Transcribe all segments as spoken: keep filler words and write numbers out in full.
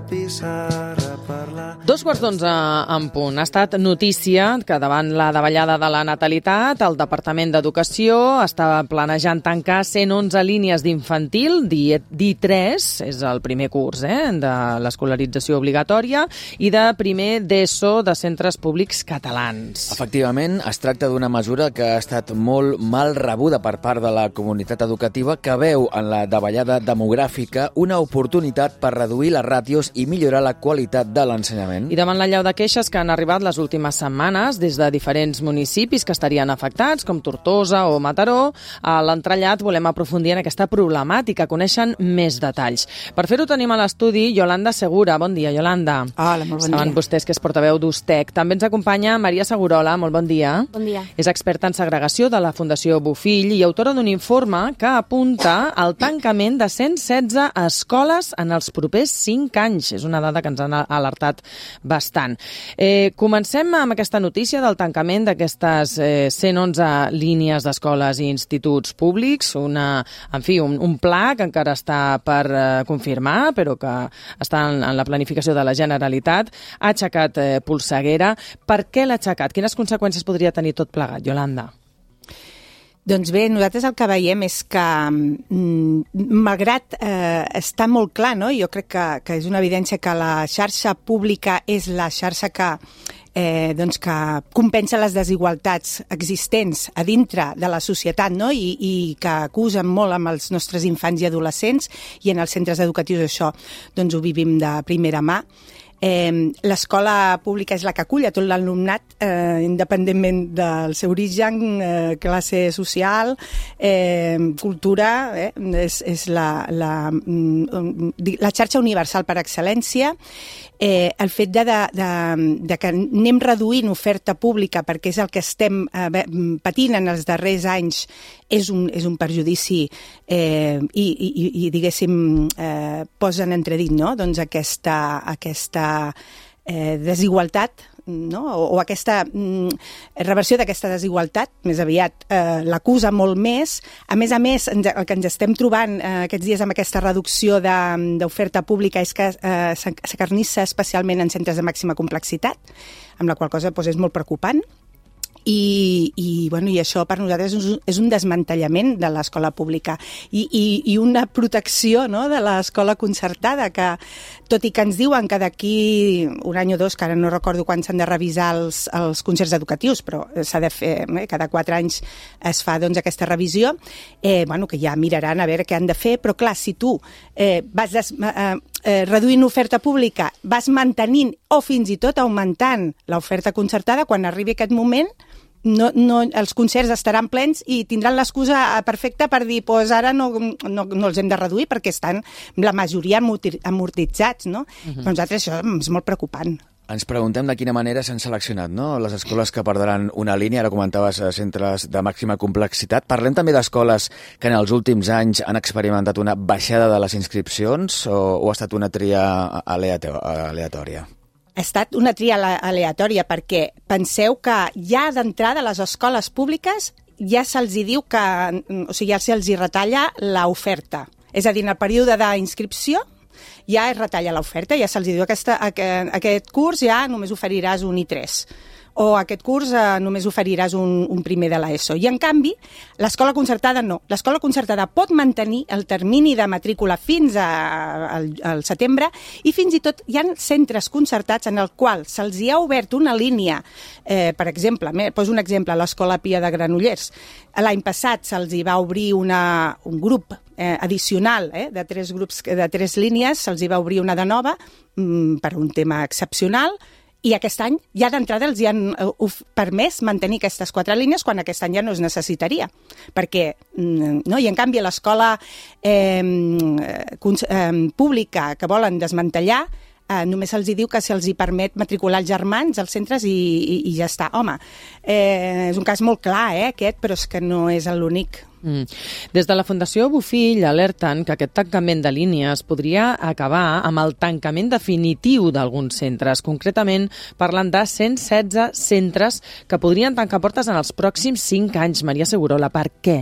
pissarra parlar. Dos quarts d'onze en punt. Ha estat notícia que davant la davallada de la natalitat, el Departament d'Educació està planejant tancar cent onze línies d'infantil, D tres, és el primer curs eh, de l'escolarització obligatòria, i de primer d'ESO de centres públics catalans. Efectivament, es tracta d'una mesura que ha estat molt mal rebuda per part de la comunitat educativa, que veu en la davallada demogràfica una oportunitat per reduir les ràtios i millorar la qualitat de l'ensenyament. I davant l'allau de queixes que han arribat les últimes setmanes des de diferents municipis que estarien afectats, com Tortosa o Mataró, a l'entrellat volem aprofundir en aquesta problemàtica, coneixen més detalls. Per fer-ho tenim a l'estudi Yolanda Segura. Bon dia, Yolanda. Hola, molt bon dia. Saben vostès que és portaveu d'Ustec. També ens acompanya Maria Segurola. Molt bon dia. Bon dia. És experta en segregació de la Fundació Bofill i autora d'un informe que apunta al tancament de cent setze escoles en els propers cinc anys. És una dada que ens han alertat bastant. Eh, comencem amb aquesta notícia del tancament d'aquestes eh, cent onze línies d'escoles i instituts públics, una, en fi, un, un pla que encara està per eh, confirmar, però que està en, en la planificació de la Generalitat. Ha aixecat eh, polseguera. Per què l'ha aixecat? Quines conseqüències podria tenir tot plegat, Yolanda? Doncs bé, nosaltres el que veiem és que, mm, malgrat eh, està molt clar, no? Jo crec que, que és una evidència que la xarxa pública és la xarxa que, eh, doncs que compensa les desigualtats existents a dintre de la societat, no? I, i que acusen molt amb els nostres infants i adolescents, i en els centres educatius això doncs ho vivim de primera mà. Eh, l'escola pública és la que acull a tot l'alumnat, eh, independentment del seu origen, eh, classe social, eh, cultura, eh, és, és la, la, la xarxa universal per excel·lència. Eh, el fet de, de, de, de que anem reduint oferta pública perquè és el que estem eh, patint en els darrers anys és un, és un perjudici eh, i, i, i, diguéssim, eh, posa en entredit, no? Doncs aquesta, aquesta eh, desigualtat, no? o, o aquesta mm, reversió d'aquesta desigualtat, més aviat eh, l'acusa molt més. A més a més, ens, el que ens estem trobant eh, aquests dies amb aquesta reducció d'oferta pública és que eh, s'acarnissa especialment en centres de màxima complexitat, amb la qual cosa doncs, és molt preocupant. I, i, bueno, i això per nosaltres és un, és un desmantellament de l'escola pública i, i, i una protecció, no?, de l'escola concertada, que tot i que ens diuen que d'aquí un any o dos, que ara no recordo quan s'han de revisar els, els concerts educatius, però s'ha de fer, eh, cada quatre anys es fa doncs, aquesta revisió, eh, bueno, que ja miraran a veure què han de fer, però clar, si tu eh, vas des, eh, eh, reduint oferta pública, vas mantenint o fins i tot augmentant l'oferta concertada, quan arribi aquest moment, No, no, els concerts estaran plens i tindran l'excusa perfecta per dir pues ara no, no, no els hem de reduir perquè estan la majoria amortitzats, no? Uh-huh. Per nosaltres això és molt preocupant. Ens preguntem de quina manera s'han seleccionat, no?, les escoles que perdran una línia. Ara comentaves centres de màxima complexitat. Parlem també d'escoles que en els últims anys han experimentat una baixada de les inscripcions o, o ha estat una tria aleatòria? Ha estat una tria aleatòria perquè penseu que ja d'entrada a les escoles públiques ja se'ls diu que, o sigui, ja se'ls retalla l'oferta. És a dir, en el període d'inscripció ja es retalla l'oferta, ja se'ls diu que aquesta, aquest curs ja només oferiràs un I tres. O aquest curs eh, només oferiràs un, un primer de l'ESO. I, en canvi, l'escola concertada no. L'escola concertada pot mantenir el termini de matrícula fins a, al, al setembre i fins i tot hi ha centres concertats en el qual se'ls hi ha obert una línia, eh, per exemple, poso un exemple, a l'Escola Pia de Granollers. L'any passat se'ls hi va obrir una, un grup eh, addicional eh, de tres grups, de tres línies, se'ls hi va obrir una de nova mm, per un tema excepcional. I aquest any, ja d'entrada, els hi han permès mantenir aquestes quatre línies quan aquest any ja no es necessitaria. Perquè, no? I en canvi, l'escola eh, eh, pública que volen desmantellar, eh, només se'ls diu que se'ls hi permet matricular els germans als centres i, i, i ja està. Home, eh, és un cas molt clar, eh, aquest, però és que no és l'únic. Mm. Des de la Fundació Bofill alerten que aquest tancament de línies podria acabar amb el tancament definitiu d'alguns centres. Concretament, parlen de cent setze centres que podrien tancar portes en els pròxims cinc anys. Maria Segurola, per què?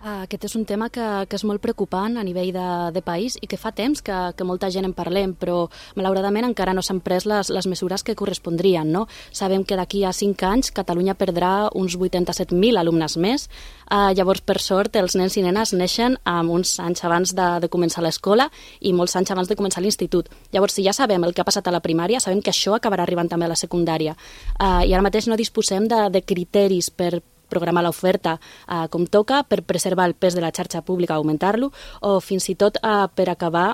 Aquest és un tema que, que és molt preocupant a nivell de, de país i que fa temps que, que molta gent en parlem, però malauradament encara no s'han pres les, les mesures que correspondrien. No? Sabem que d'aquí a cinc anys Catalunya perdrà uns vuitanta-set mil alumnes més. Eh, llavors, per sort, els nens i nenes neixen amb uns anys abans de, de començar l'escola i molts anys abans de començar l'institut. Llavors, si ja sabem el que ha passat a la primària, sabem que això acabarà arribant també a la secundària. Eh, I ara mateix no disposem de, de criteris per programar l'oferta eh, com toca, per preservar el pes de la xarxa pública, augmentar-lo, o fins i tot eh, per acabar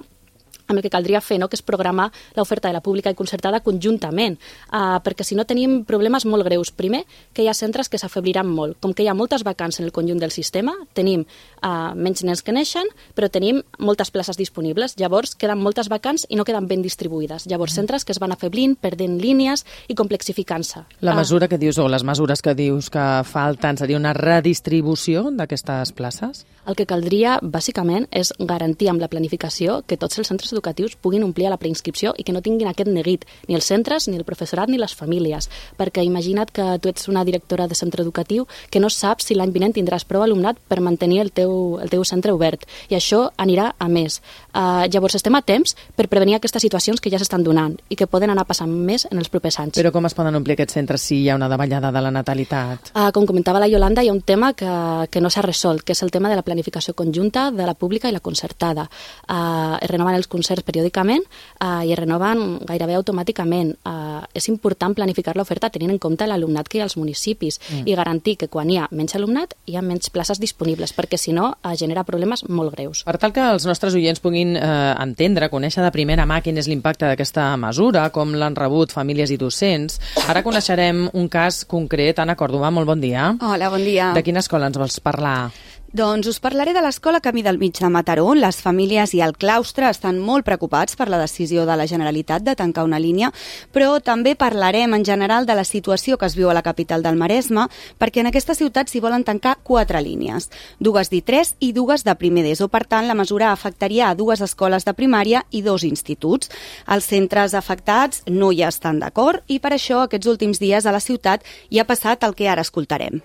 amb el que caldria fer, no? Que és programar l'oferta de la pública i concertada conjuntament, uh, perquè si no tenim problemes molt greus. Primer, que hi ha centres que s'afebliran molt. Com que hi ha moltes vacants en el conjunt del sistema, tenim uh, menys nens que neixen, però tenim moltes places disponibles. Llavors, queden moltes vacants i no queden ben distribuïdes. Llavors, centres que es van afeblint, perdent línies i complexificant-se. La mesura que dius, o les mesures que dius que falten, seria una redistribució d'aquestes places? El que caldria, bàsicament, és garantir amb la planificació que tots els centres educatius puguin omplir a la preinscripció i que no tinguin aquest neguit, ni els centres, ni el professorat, ni les famílies. Perquè imagina't que tu ets una directora de centre educatiu que no saps si l'any vinent tindràs prou alumnat per mantenir el teu, el teu centre obert. I això anirà a més. Uh, llavors estem a temps per prevenir aquestes situacions que ja s'estan donant i que poden anar passant més en els propers anys. Però com es poden omplir aquests centres si hi ha una davallada de la natalitat? Uh, com comentava la Yolanda, hi ha un tema que, que no s'ha resolt, que és el tema de la planificació conjunta de la pública i la concertada. Uh, es renoven els concerts periòdicament uh, i es renoven gairebé automàticament. Uh, és important planificar l'oferta tenint en compte l'alumnat que hi ha als municipis mm. i garantir que quan hi ha menys alumnat hi ha menys places disponibles, perquè si no uh, genera problemes molt greus. Per tal que els nostres oients puguin eh, entendre, conèixer de primera mà quin és l'impacte d'aquesta mesura, com l'han rebut famílies i docents, ara coneixerem un cas concret. Anna Còrdova, molt bon dia. Hola, bon dia. De quina escola ens vols parlar? Doncs us parlaré de l'escola Camí del Mig de Mataró. Les famílies i el claustre estan molt preocupats per la decisió de la Generalitat de tancar una línia, però també parlarem en general de la situació que es viu a la capital del Maresme, perquè en aquesta ciutat s'hi volen tancar quatre línies, dues d'I tres i dues de primer d'ESO. Per tant, la mesura afectaria a dues escoles de primària i dos instituts. Els centres afectats no hi estan d'acord i per això aquests últims dies a la ciutat hi ha passat el que ara escoltarem.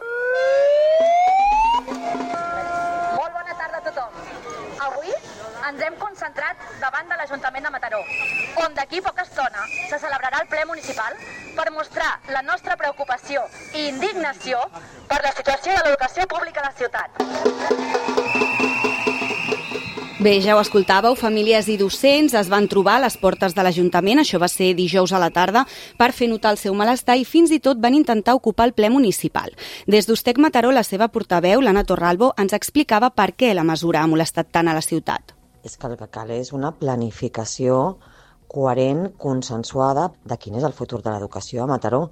Ens hem concentrat davant de l'Ajuntament de Mataró, on d'aquí poca estona se celebrarà el ple municipal per mostrar la nostra preocupació i indignació per la situació de l'educació pública a la ciutat. Bé, ja ho escoltàveu, famílies i docents es van trobar a les portes de l'Ajuntament, això va ser dijous a la tarda, per fer notar el seu malestar i fins i tot van intentar ocupar el ple municipal. Des d'Ustec Mataró, la seva portaveu, l'Anna Torralbo, ens explicava per què la mesura ha molestat tant a la ciutat. És que el que cal és una planificació coherent, consensuada, de quin és el futur de l'educació a Mataró,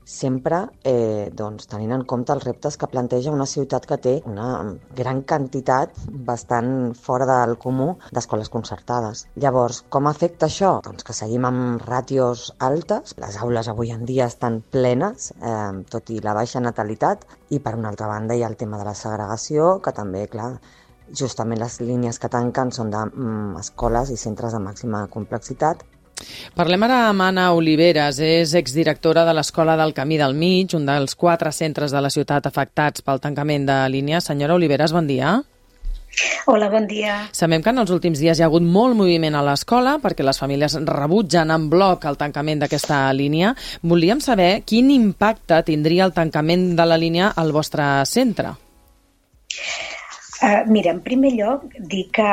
sempre eh, doncs, tenint en compte els reptes que planteja una ciutat que té una gran quantitat bastant fora del comú d'escoles concertades. Llavors, com afecta això? Doncs que seguim amb ràtios altes, les aules avui en dia estan plenes, eh, tot i la baixa natalitat, i per una altra banda hi ha el tema de la segregació, que també, clar, justament les línies que tanquen són d'escoles i centres de màxima complexitat. Parlem ara amb Anna Oliveres, és exdirectora de l'Escola del Camí del Mig, un dels quatre centres de la ciutat afectats pel tancament de línies. Senyora Oliveres, bon dia. Hola, bon dia. Sabem que en els últims dies hi ha hagut molt moviment a l'escola perquè les famílies rebutgen en bloc el tancament d'aquesta línia. Volíem saber quin impacte tindria el tancament de la línia al vostre centre. Uh, mira, en primer lloc, dir que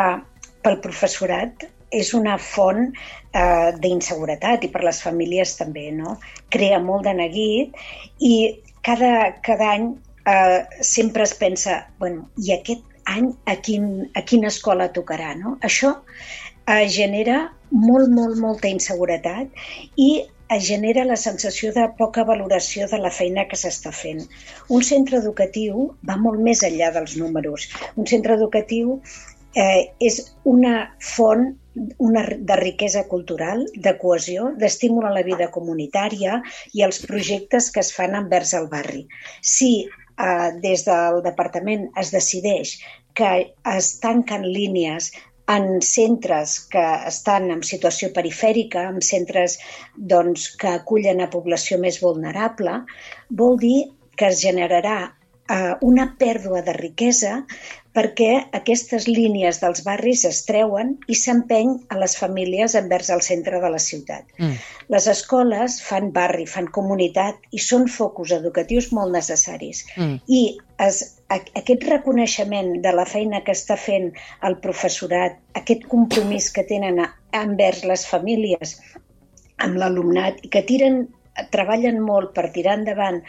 pel professorat és una font uh, d'inseguretat i per les famílies també, no? Crea molt de neguit i cada, cada any uh, sempre es pensa, bueno, i aquest any a, quin, a quina escola tocarà, no? Això uh, genera molt, molt, molta inseguretat i es genera la sensació de poca valoració de la feina que s'està fent. Un centre educatiu va molt més enllà dels números. Un centre educatiu eh, és una font una, de riquesa cultural, de cohesió, d'estímul a la vida comunitària i els projectes que es fan envers el barri. Si eh, des del departament es decideix que es tanquen línies en centres que estan en situació perifèrica, en centres doncs, que acullen a població més vulnerable, vol dir que es generarà uh, una pèrdua de riquesa perquè aquestes línies dels barris es treuen i s'empeny a les famílies envers el centre de la ciutat. Mm. Les escoles fan barri, fan comunitat i són focus educatius molt necessaris. Mm. I es, a, aquest reconeixement de la feina que està fent el professorat, aquest compromís que tenen a, envers les famílies amb l'alumnat i que tiren treballen molt per tirar endavant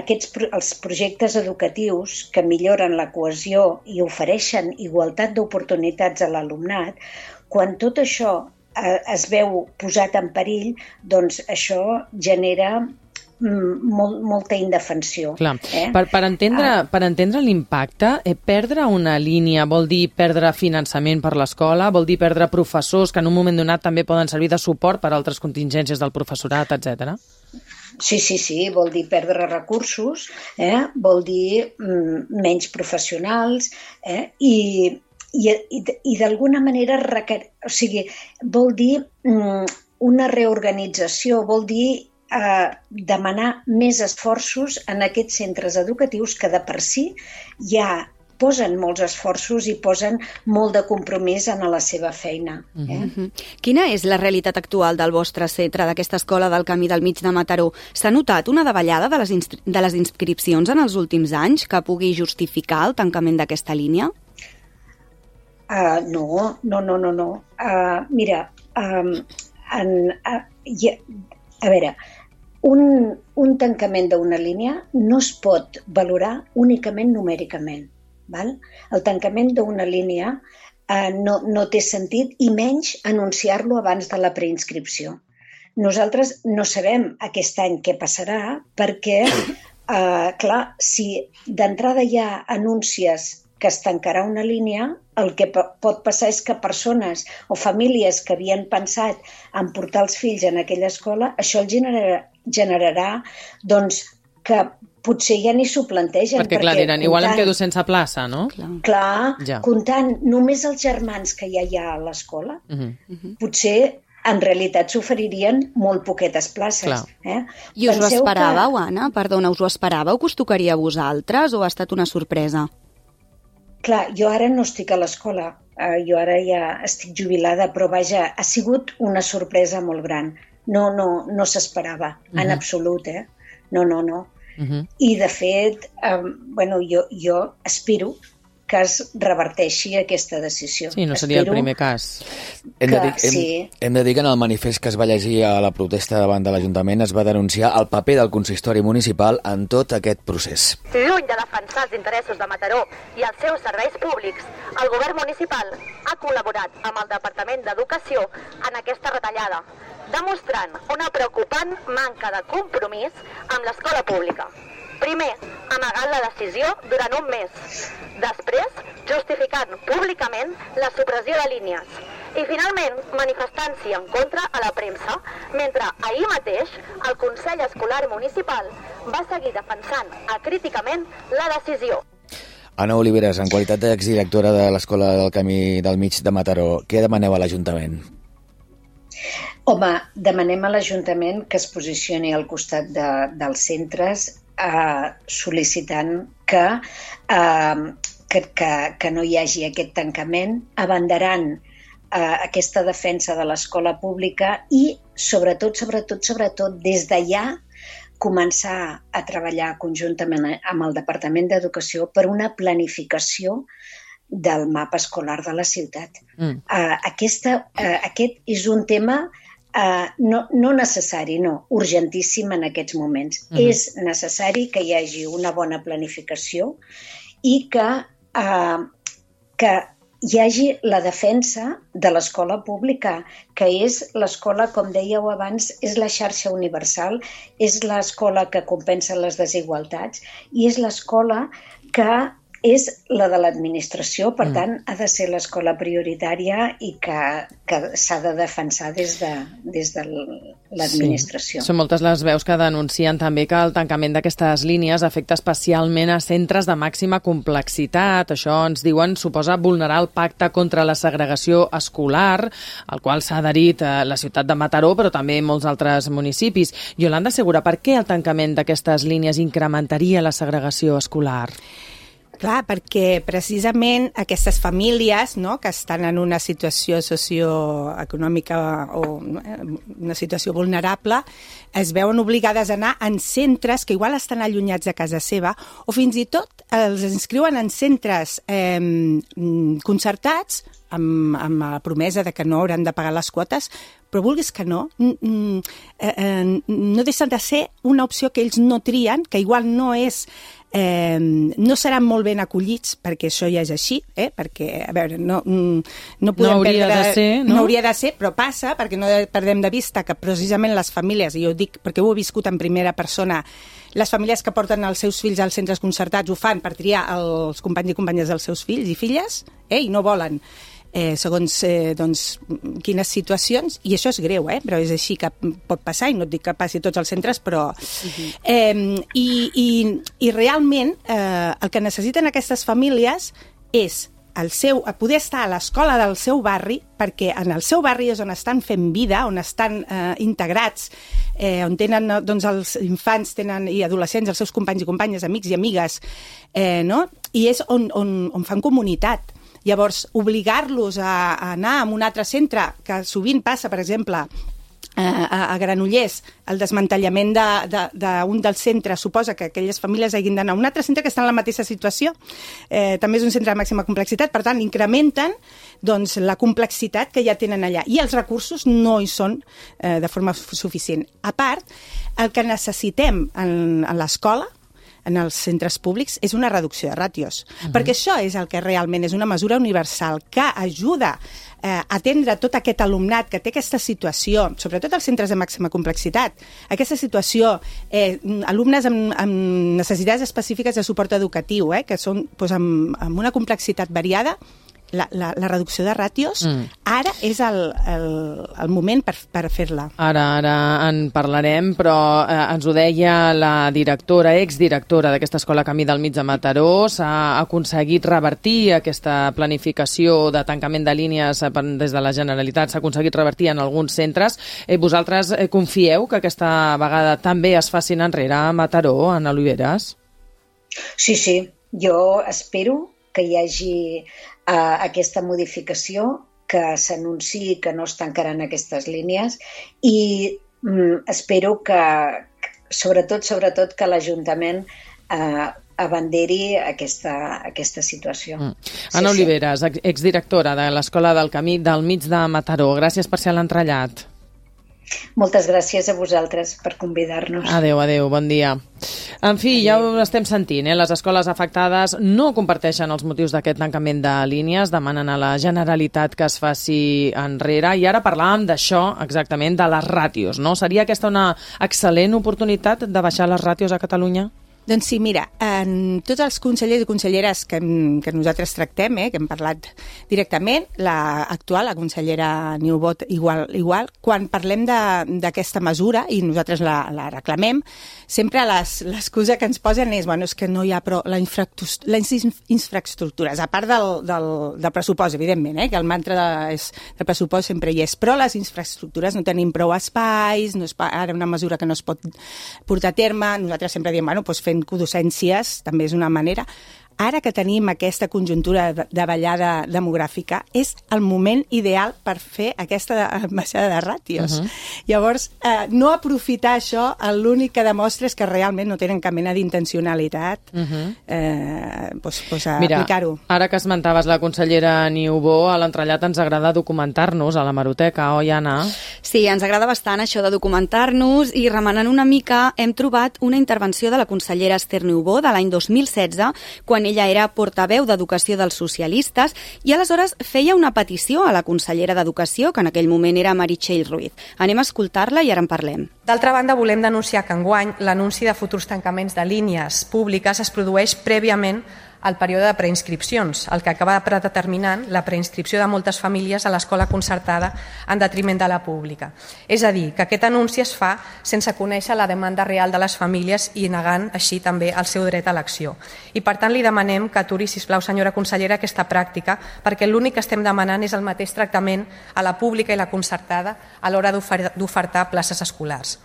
aquests, els projectes educatius que milloren la cohesió i ofereixen igualtat d'oportunitats a l'alumnat, quan tot això eh, es veu posat en perill, doncs això genera molt, molta indefensió. Clar. Eh? Per, per entendre, ah. per entendre l'impacte, eh, perdre una línia vol dir perdre finançament per l'escola, vol dir perdre professors que en un moment donat també poden servir de suport per a altres contingències del professorat, etcètera. Sí, sí, sí, vol dir perdre recursos, eh? Vol dir mm, menys professionals eh? i, i, i, i d'alguna manera requer... o sigui, vol dir mm, una reorganització, vol dir eh, demanar més esforços en aquests centres educatius que de per si ja posen molts esforços i posen molt de compromís en la seva feina. Eh? Mm-hmm. Quina és la realitat actual del vostre centre, d'aquesta escola del Camí del Mig de Mataró? S'ha notat una davallada de les, de les inscripcions en els últims anys que pugui justificar el tancament d'aquesta línia? Uh, no, no, no, no. no. Uh, mira, um, en, uh, ja, a veure, un, un tancament d'una línia no es pot valorar únicament numèricament. Val? El tancament d'una línia eh, no, no té sentit i menys anunciar-lo abans de la preinscripció. Nosaltres no sabem aquest any què passarà perquè, eh, clar, si d'entrada ja anuncies que es tancarà una línia, el que pot passar és que persones o famílies que havien pensat en portar els fills en aquella escola, això el generarà, generarà doncs, que potser ja ni s'ho plantegen. Perquè, clar, diran, igual em quedo sense plaça, no? Clar, clar ja. Comptant només els germans que ja hi ha a l'escola, uh-huh. potser en realitat s'oferirien molt poquetes places. Eh? I us Penseu ho esperàveu, que... Anna? Perdona, us ho esperàveu que us tocaria a vosaltres o ha estat una sorpresa? Clar, jo ara no estic a l'escola, uh, jo ara ja estic jubilada, però vaja, ha sigut una sorpresa molt gran. No, no, no s'esperava, uh-huh. en absolut, eh? No, no, no. Uh-huh. I, de fet, um, bueno, jo, jo aspiro que es reverteixi aquesta decisió. Sí, no seria Espero el primer cas. Hem de, dir, hem, sí. hem de dir que en el manifest que es va llegir a la protesta davant de l'Ajuntament es va denunciar el paper del consistori municipal en tot aquest procés. Lluny de defensar els interessos de Mataró i els seus serveis públics, el govern municipal ha col·laborat amb el Departament d'Educació en aquesta retallada, demostrant una preocupant manca de compromís amb l'escola pública. Primer, amagant la decisió durant un mes. Després, justificant públicament la supressió de línies. I finalment, manifestant-s'hi en contra a la premsa, mentre ahir mateix el Consell Escolar Municipal va seguir defensant acríticament la decisió. Anna Oliveres, en qualitat d'exdirectora de l'Escola del Camí del Mig de Mataró, què demaneu a l'Ajuntament? Home, demanem a l'Ajuntament que es posicioni al costat de, dels centres eh, sol·licitant que, eh, que, que, que no hi hagi aquest tancament, abanderant eh, aquesta defensa de l'escola pública i, sobretot, sobretot, sobretot, des de ja començar a treballar conjuntament amb el Departament d'Educació per una planificació del mapa escolar de la ciutat. Mm. Uh, aquesta, uh, aquest és un tema uh, no, no necessari, no, urgentíssim en aquests moments. Mm. És necessari que hi hagi una bona planificació i que, uh, que hi hagi la defensa de l'escola pública, que és l'escola, com dèieu abans, és la xarxa universal, és l'escola que compensa les desigualtats i és l'escola que és la de l'administració, per mm. tant, ha de ser l'escola prioritària i que, que s'ha de defensar des de, des de l'administració. Sí. Són moltes les veus que denuncien també que el tancament d'aquestes línies afecta especialment a centres de màxima complexitat. Això, ens diuen, suposa vulnerar el pacte contra la segregació escolar, al qual s'ha adherit la ciutat de Mataró, però també molts altres municipis. Iolanda Segura, per què el tancament d'aquestes línies incrementaria la segregació escolar? Clar, perquè precisament aquestes famílies, no, que estan en una situació socioeconòmica o una situació vulnerable es veuen obligades a anar en centres que igual estan allunyats de casa seva o fins i tot els inscriuen en centres eh, concertats amb, amb la promesa de que no hauran de pagar les quotes, però vulguis que no, eh, eh, no deixen de ser una opció que ells no trien, que igual no és Eh, no seran molt ben acollits, perquè això ja és així, eh? perquè, a veure, no, no podem no hauria perdre, de ser, no? no hauria de ser, però passa, perquè no perdem de vista que precisament les famílies, i jo ho dic perquè ho he viscut en primera persona, les famílies que porten els seus fills als centres concertats ho fan per triar els companys i companyes dels seus fills i filles, eh? i no volen Eh, segons eh, doncs, quines situacions, i això és greu, eh? però és així que pot passar, i no et dic que passi a tots els centres, però... Uh-huh. eh, i, i, I realment eh, el que necessiten aquestes famílies és el seu, poder estar a l'escola del seu barri, perquè en el seu barri és on estan fent vida, on estan eh, integrats, eh, on tenen doncs, els infants tenen, i adolescents, els seus companys i companyes, amics i amigues, eh, no? i és on, on, on fan comunitat. Llavors, obligar-los a, a anar a un altre centre, que sovint passa, per exemple, a, a Granollers, el desmantellament d'un de, de, de dels centres suposa que aquelles famílies hagin d'anar a un altre centre que està en la mateixa situació. Eh, també és un centre de màxima complexitat, per tant, incrementen doncs, la complexitat que ja tenen allà. I els recursos no hi són eh, de forma suficient. A part, el que necessitem en, en l'escola, en els centres públics, és una reducció de ràtios. Uh-huh. Perquè això és el que realment és una mesura universal que ajuda eh, a atendre tot aquest alumnat que té aquesta situació, sobretot als centres de màxima complexitat, aquesta situació, eh, alumnes amb, amb necessitats específiques de suport educatiu, eh, que són doncs, amb, amb una complexitat variada. La, la, la reducció de ràtios, mm. ara és el, el, el moment per, per fer-la. Ara, ara en parlarem, però eh, ens ho deia la directora, exdirectora d'aquesta escola Camí del Mig de Mataró, s'ha aconseguit revertir aquesta planificació de tancament de línies des de la Generalitat, s'ha aconseguit revertir en alguns centres. Eh, vosaltres eh, confieu que aquesta vegada també es facin enrere a Mataró, en Oliveres? Sí, sí, jo espero que hi hagi uh, aquesta modificació, que s'anunciï que no es tancaran aquestes línies i um, espero que, sobretot, sobretot que l'Ajuntament uh, abanderi aquesta, aquesta situació. Mm. Anna sí, Oliveres, sí. exdirectora de l'Escola del Camí del Mig de Mataró. Gràcies per ser a l'entrellat. Moltes gràcies a vosaltres per convidar-nos. Adéu, adéu, bon dia. En fi, adéu. Ja ho estem sentint, eh? Les escoles afectades no comparteixen els motius d'aquest tancament de línies, demanen a la Generalitat que es faci enrere, i ara parlàvem d'això, exactament, de les ràtios, no? Seria aquesta una excel·lent oportunitat de baixar les ràtios a Catalunya? Doncs sí, mira, en tots els consellers i conselleres que, que nosaltres tractem, eh, que hem parlat directament, la actual, la consellera Niubot, igual, igual, quan parlem d'aquesta mesura, i nosaltres la, la reclamem, sempre l'excusa que ens posen és, bueno, és que no hi ha prou, les infraestructures, a part del, del, del pressupost, evidentment, eh, que el mantra de, és, del pressupost sempre hi és, però les infraestructures no tenim prou espais, no és ara una mesura que no es pot portar a terme, nosaltres sempre diem, bueno, doncs fent codocències, també és una manera. Ara que tenim aquesta conjuntura de davallada demogràfica, és el moment ideal per fer aquesta baixada de ràtios. Uh-huh. Llavors, eh, no aprofitar això, l'únic que demostra és que realment no tenen cap mena d'intencionalitat uh-huh. eh, pues, pues a Mira, aplicar-ho. Ara que esmentaves la consellera Niubó, a l'entrellat ens agrada documentar-nos a l'hemeroteca, oi, Anna? Sí, ens agrada bastant això de documentar-nos, i remenant una mica hem trobat una intervenció de la consellera Esther Niubó de l'any dos mil setze, quan ella era portaveu d'Educació dels socialistes, i aleshores feia una petició a la consellera d'Educació, que en aquell moment era Meritxell Ruiz. Anem a escoltar-la i ara en parlem. D'altra banda, volem denunciar que enguany l'anunci de futurs tancaments de línies públiques es produeix prèviament el període de preinscripcions, el que acaba predeterminant la preinscripció de moltes famílies a l'escola concertada en detriment de la pública. És a dir, que aquest anunci es fa sense conèixer la demanda real de les famílies i negant així també el seu dret a elecció. I per tant li demanem que aturi, sisplau, senyora consellera, aquesta pràctica, perquè l'únic que estem demanant és el mateix tractament a la pública i la concertada a l'hora d'ofertar places escolars.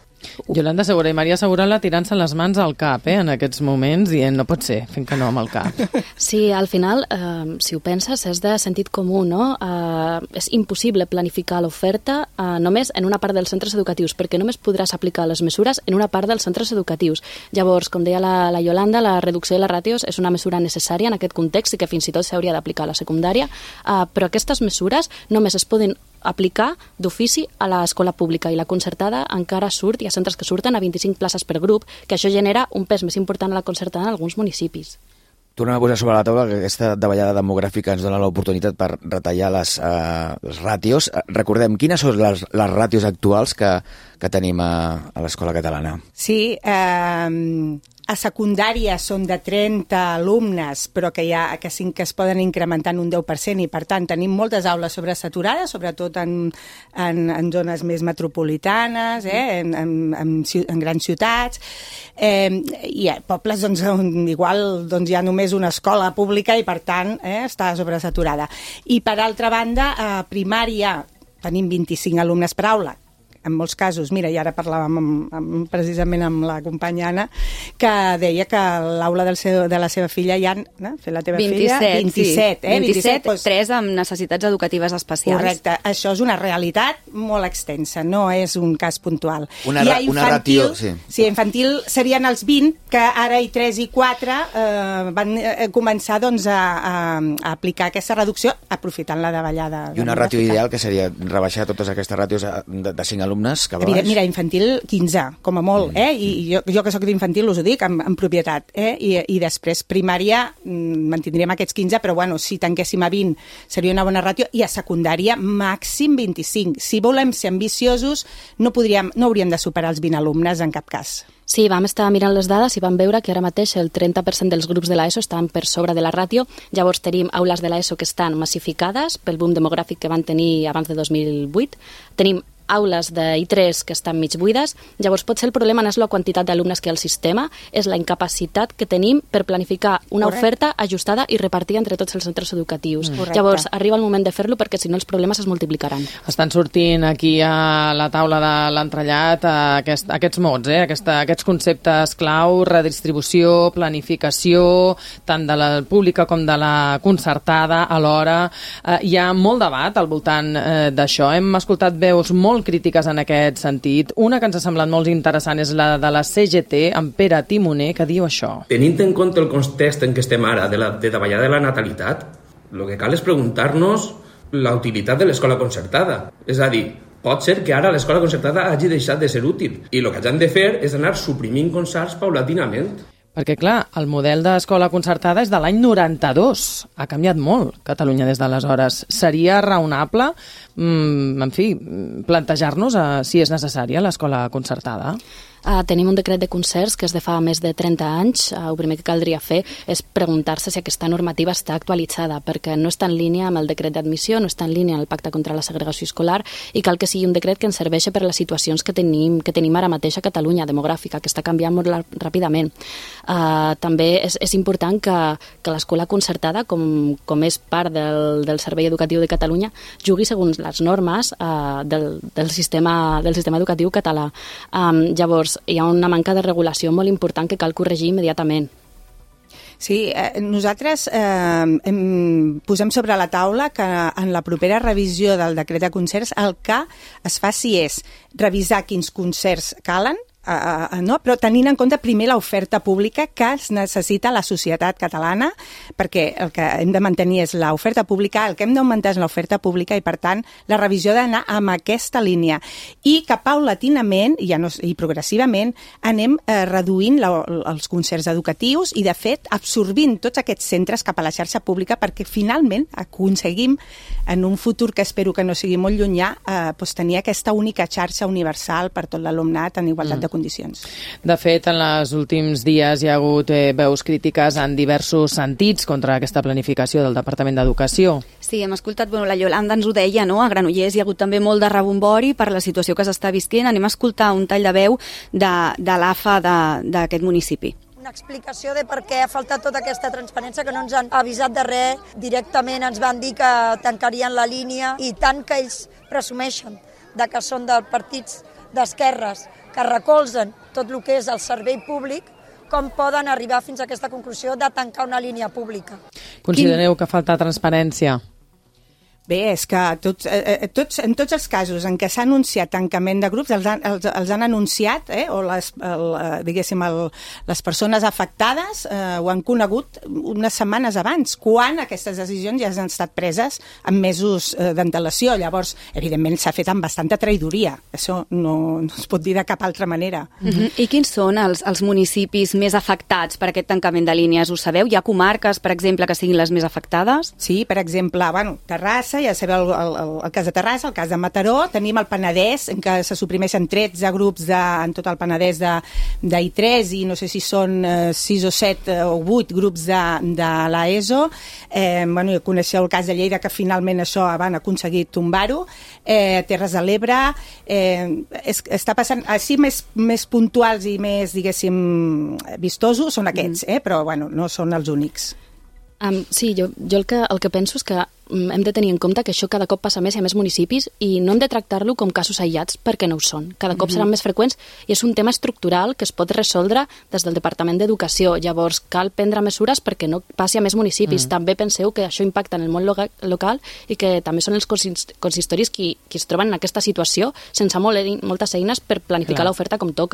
Yolanda Segura i Maria Segura la tirant-se les mans al cap eh, en aquests moments, dient no pot ser, fent que no amb el cap. Sí, al final, eh, si ho penses, és de sentit comú, no? Eh, és impossible planificar l'oferta eh, només en una part dels centres educatius, perquè només podràs aplicar les mesures en una part dels centres educatius. Llavors, com deia la, la Yolanda, la reducció de les ràtios és una mesura necessària en aquest context i que fins i tot s'hauria d'aplicar a la secundària, eh, però aquestes mesures només es poden aplicar d'ofici a l'escola pública i la concertada encara surt, hi ha centres que surten a vint-i-cinc places per grup, que això genera un pes més important a la concertada en alguns municipis. Tornem a posar sobre la taula que aquesta davallada demogràfica ens dona l'oportunitat per retallar les, uh, les ràtios. Recordem, quines són les, les ràtios actuals que, que tenim a, a l'escola catalana? Sí, eh, a secundària són de trenta alumnes, però que, hi ha, que, sí, que es poden incrementar en un deu per cent i, per tant, tenim moltes aules sobresaturades, sobretot en, en, en zones més metropolitanes, eh, en, en, en, en grans ciutats. Eh, I a pobles, doncs, on igual doncs, hi ha només una escola pública i, per tant, eh, està sobresaturada. I, per altra banda, a primària tenim vint-i-cinc alumnes per aula, en molts casos, mira, i ara parlàvem amb, amb, precisament amb la companya Anna, que deia que a l'aula del seu, de la seva filla hi ha, no? Fer la teva vint-i-set, filla, vint-i-set, sí. eh? vint-i-set, doncs, tres amb necessitats educatives especials. Correcte, això és una realitat molt extensa, no és un cas puntual. Una, ha infantil, una ràtio, sí. Sí, infantil serien els vint, que ara i tres i quatre eh, van eh, començar doncs, a, a, a aplicar aquesta reducció aprofitant la davallada. I una ràtio ideal que seria rebaixar totes aquestes ràtios de, de cinc alumnes cap a baix? Mira, infantil quinze, com a molt, eh? I jo, jo que soc d'infantil us ho dic en, en propietat, eh? I, i després primària mantindríem aquests quinze, però bueno, si tanquéssim a vint seria una bona ràtio, i a secundària màxim vint-i-cinc. Si volem ser ambiciosos no, podríem, no hauríem de superar els vint alumnes en cap cas. Sí, vam estar mirant les dades i vam veure que ara mateix el trenta per cent dels grups de l'ESO estan per sobre de la ràtio. Llavors tenim aules de l'ESO que estan massificades pel boom demogràfic que van tenir abans de dos mil vuit. Tenim aules de I tres que estan mig buides. Llavors potser el problema no és la quantitat d'alumnes que hi ha al sistema, és la incapacitat que tenim per planificar una Correcte. Oferta ajustada i repartida entre tots els centres educatius. Mm. Llavors arriba el moment de fer-lo perquè si no els problemes es multiplicaran. Estan sortint aquí a la taula de l'entrellat aquest, aquests mots, eh? Aquesta, aquests conceptes clau, redistribució, planificació, tant de la pública com de la concertada alhora. Eh, hi ha molt debat al voltant eh, d'això. Hem escoltat veus molt molt crítiques en aquest sentit. Una que ens ha semblat molt interessant és la de la C G T, amb Pere Timoner, que diu això. Tenint en compte el context en què estem ara, de la de davallada de la natalitat, el que cal és preguntar-nos la utilitat de l'escola concertada. És a dir, pot ser que ara l'escola concertada hagi deixat de ser útil i el que hagin de fer és anar suprimint concerts paulatinament. Perquè, clar, el model d'escola concertada és de l'any noranta-dos. Ha canviat molt Catalunya des d'aleshores. Seria raonable, mm, en fi, plantejar-nos eh, si és necessària l'escola concertada? Uh, tenim un decret de concerts que és de fa més de trenta anys. Uh, el primer que caldria fer és preguntar-se si aquesta normativa està actualitzada, perquè no està en línia amb el decret d'admissió, no està en línia amb el pacte contra la segregació escolar, i cal que sigui un decret que ens serveixi per les situacions que tenim, que tenim ara mateix a Catalunya, demogràfica, que està canviant molt ràpidament. Uh, també és, és important que, que l'escola concertada, com, com és part del, del Servei Educatiu de Catalunya, jugui segons les normes uh, del, del, sistema, del sistema educatiu català. Um, llavors, hi ha una manca de regulació molt important que cal corregir immediatament. Sí, eh, nosaltres eh, em, posem sobre la taula que en la propera revisió del decret de concerts el que es faci és revisar quins concerts calen, Uh, uh, no? però tenint en compte primer l'oferta pública que es necessita la societat catalana, perquè el que hem de mantenir és l'oferta pública, el que hem d'augmentar és l'oferta pública i, per tant, la revisió ha d'anar amb aquesta línia. I que paulatinament ja no, i progressivament anem eh, reduint la, els concerts educatius i, de fet, absorbint tots aquests centres cap a la xarxa pública perquè, finalment, aconseguim, en un futur que espero que no sigui molt llunyà, eh, doncs tenir aquesta única xarxa universal per tot l'alumnat en igualtat mm. de condicions. De fet, en els últims dies hi ha hagut eh, veus crítiques en diversos sentits contra aquesta planificació del Departament d'Educació. Sí, hem escoltat, bueno, la Yolanda ens ho deia, no? A Granollers hi ha hagut també molt de rebombori per la situació que s'està visquent. Anem a escoltar un tall de veu de, de l'A F A d'aquest municipi. Una explicació de per què ha faltat tota aquesta transparència, que no ens han avisat de res. Directament ens van dir que tancarien la línia i tant que ells presumeixen de que són de partits d'esquerres que recolzen tot el que és el servei públic, com poden arribar fins a aquesta conclusió de tancar una línia pública. Considereu que falta transparència? Bé, és que tots, eh, tots, en tots els casos en què s'ha anunciat tancament de grups, els han, els, els han anunciat, eh, o les, el, diguéssim, el, les persones afectades eh, ho han conegut unes setmanes abans, quan aquestes decisions ja han estat preses amb mesos eh, d'antelació. Llavors, evidentment, s'ha fet amb bastanta traïdoria. Això no, no es pot dir de cap altra manera. Uh-huh. I quins són els, els municipis més afectats per aquest tancament de línies? Ho sabeu? Hi ha comarques, per exemple, que siguin les més afectades? Sí, per exemple, bueno, Terrassa, ja sabeu el, el, el cas de Terrassa, el cas de Mataró, tenim el Penedès, en què se suprimeixen tretze grups de, en tot el Penedès de, de I tres i no sé si són eh, sis o set eh, o vuit grups de, de l'ESO. Eh, bueno, coneixeu el cas de Lleida, que finalment això van aconseguir tombar-ho. Eh, Terres de l'Ebre, eh, es, està passant, així més, més puntuals i més, diguéssim, vistosos són aquests, eh, però bueno, no són els únics. Um, sí, jo, jo el, que, el que penso és que um, hem de tenir en compte que això cada cop passa més i a més municipis i no hem de tractar-lo com casos aïllats perquè no ho són. Cada cop mm-hmm. seran més freqüents i és un tema estructural que es pot resoldre des del Departament d'Educació. Llavors cal prendre mesures perquè no passi a més municipis. Mm. També penseu que això impacta en el món loca- local i que també són els consist- consistoris qui, qui es troben en aquesta situació sense molt, moltes eines per planificar l'oferta com toca.